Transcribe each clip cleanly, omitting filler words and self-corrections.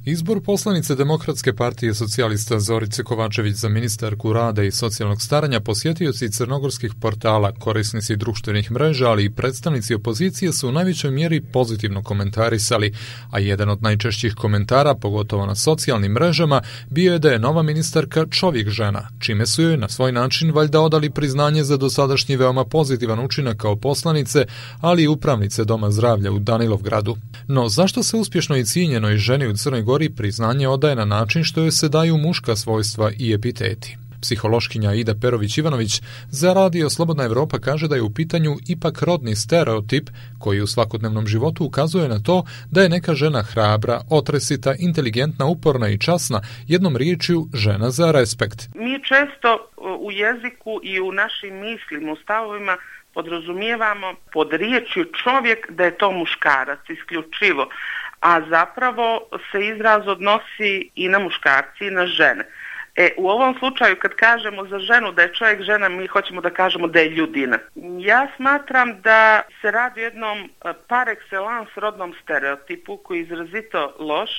Izbor poslanice Demokratske partije socijalista Zorice Kovačević za ministarku rada i socijalnog staranja posjetioci crnogorskih portala, korisnici društvenih mreža, ali i predstavnici opozicije su u najvećoj mjeri pozitivno komentarisali, a jedan od najčešćih komentara, pogotovo na socijalnim mrežama, bio je da je nova ministarka čovjek žena, čime su joj na svoj način valjda odali priznanje za dosadašnji veoma pozitivan učinak kao poslanice, ali i upravnice Doma zdravlja u Danilovgradu. No zašto se uspješno i cijenjenoj ženi u Crnoj Gori priznanje odaje na način što joj se daju muška svojstva i epiteti? Psihološkinja Ida Perović-Ivanović za Radio Slobodna Evropa kaže da je u pitanju ipak rodni stereotip koji u svakodnevnom životu ukazuje na to da je neka žena hrabra, otresita, inteligentna, uporna i časna, jednom riječju žena za respekt. Mi često u jeziku i u našim mislima, u stavovima podrazumijevamo pod riječju čovjek da je to muškarac isključivo, a zapravo se izraz odnosi i na muškarci i na žene. U ovom slučaju kad kažemo za ženu da je čovjek žena, mi hoćemo da kažemo da je ljudina. Ja smatram da se radi o jednom par excellence rodnom stereotipu koji je izrazito loš,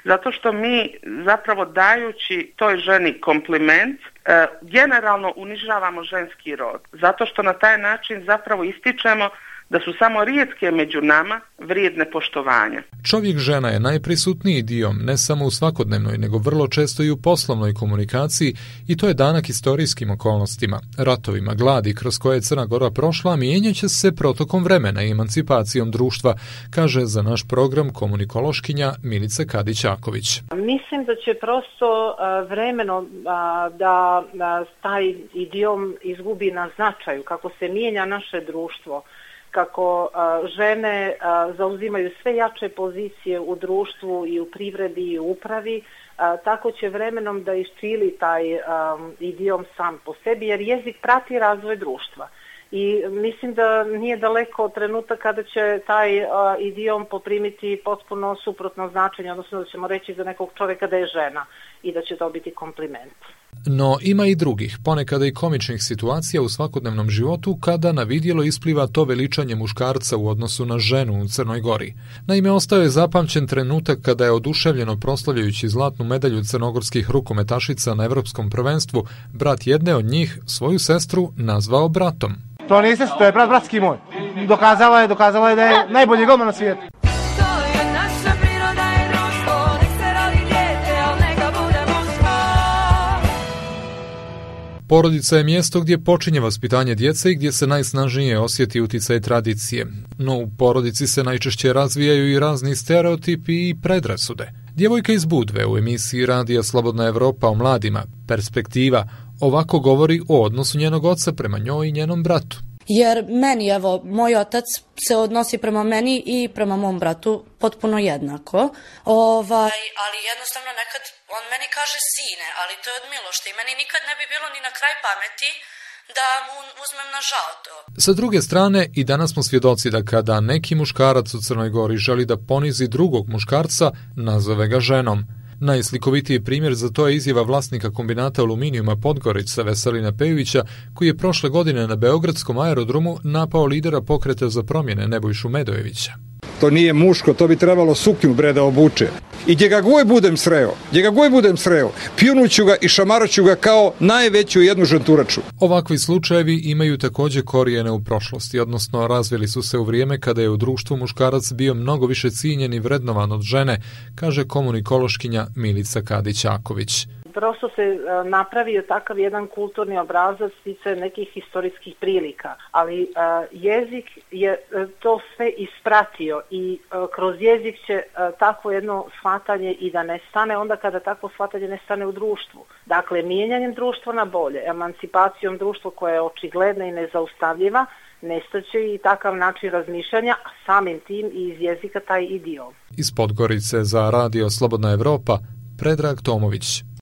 zato što mi zapravo dajući toj ženi kompliment generalno unižavamo ženski rod. Zato što na taj način zapravo ističemo da su samo rijetke među nama vrijedne poštovanja. Čovjek žena je najprisutniji dio ne samo u svakodnevnoj, nego vrlo često i u poslovnoj komunikaciji i to je danak historijskim okolnostima, ratovima, gladi kroz koje je Crna Gora prošla, mijenjaće se protokom vremena i emancipacijom društva, kaže za naš program komunikološkinja Milica Kadić-Aković. Mislim da će prosto vremeno da taj idiom izgubi na značaju, kako se mijenja naše društvo, kako žene zauzimaju sve jače pozicije u društvu i u privredi i u upravi, tako će vremenom da isčili taj idiom sam po sebi, jer jezik prati razvoj društva. I mislim da nije daleko od trenutka kada će taj idiom poprimiti potpuno suprotno značenje, odnosno da ćemo reći za nekog čovjeka da je žena i da će to biti kompliment. No ima i drugih, ponekada i komičnih situacija u svakodnevnom životu kada na vidjelo ispliva to veličanje muškarca u odnosu na ženu u Crnoj Gori. Naime, ostao je zapamćen trenutak kada je oduševljeno proslavljajući zlatnu medalju crnogorskih rukometašica na Evropskom prvenstvu, brat jedne od njih svoju sestru nazvao bratom. To nije sestra, to je bratski moj. Dokazala je da je najbolji golman na svijetu. Porodica je mjesto gdje počinje vaspitanje djece i gdje se najsnažnije osjeti uticaj tradicije. No u porodici se najčešće razvijaju i razni stereotipi i predrasude. Djevojka iz Budve u emisiji Radija Slobodna Evropa o mladima, Perspektiva, ovako govori o odnosu njenog oca prema njoj i njenom bratu. Jer meni, evo, moj otac se odnosi prema meni i prema mom bratu potpuno jednako. Ali jednostavno nekad on meni kaže sine, ali to je od milošte i meni nikad ne bi bilo ni na kraj pameti da mu uzmem na žao to. Sa druge strane, i danas smo svjedoci da kada neki muškarac u Crnoj Gori želi da ponizi drugog muškarca, nazove ga ženom. Najslikovitiji primjer za to je izjava vlasnika kombinata aluminijuma Podgorica Veselina Pejovića, koji je prošle godine na Beogradskom aerodromu napao lidera pokreta za promjene Nebojšu Medojevića. To nije muško, to bi trebalo suknju bre da obuče. I gdje ga god budem sreo, pljunuću ga i šamaroću ga kao najveću jednu žanturaču. Ovakvi slučajevi imaju također korijene u prošlosti, odnosno razvili su se u vrijeme kada je u društvu muškarac bio mnogo više cijenjen i vrednovan od žene, kaže komunikološkinja Milica Kadić-Aković. Prosto se napravio takav jedan kulturni obrazac sticajem nekih historijskih prilika, ali jezik je to sve ispratio i kroz jezik će takvo jedno shvatanje i da nestane onda kada takvo shvatanje nestane u društvu. Dakle, mijenjanjem društva na bolje, emancipacijom društva koja je očigledna i nezaustavljiva, nestaće i takav način razmišljanja, a samim tim i iz jezika taj idiom. Iz Podgorice za Radio Slobodna Evropa, Predrag Tomović.